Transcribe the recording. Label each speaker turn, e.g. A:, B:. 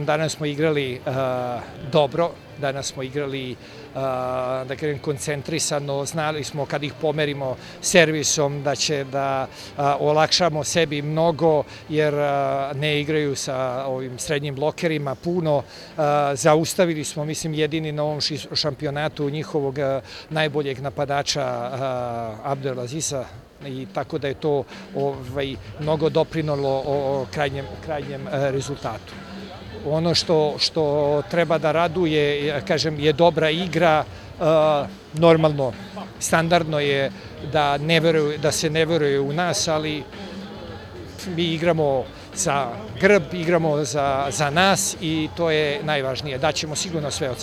A: Danas smo igrali dobro, danas smo igrali da kažem koncentrisano, znali smo kad ih pomerimo servisom da će da olakšamo sebi mnogo jer ne igraju sa ovim srednjim blokerima puno. Zaustavili smo, mislim, jedini na ovom šampionatu njihovog najboljeg napadača Abdelazisa, i tako da je to mnogo doprinelo o krajnjem rezultatu. Ono što treba da raduje, kažem, je dobra igra. Normalno, standardno je da se ne veruje u nas, ali mi igramo za grb, igramo za nas i to je najvažnije. Daćemo sigurno sve od sebe.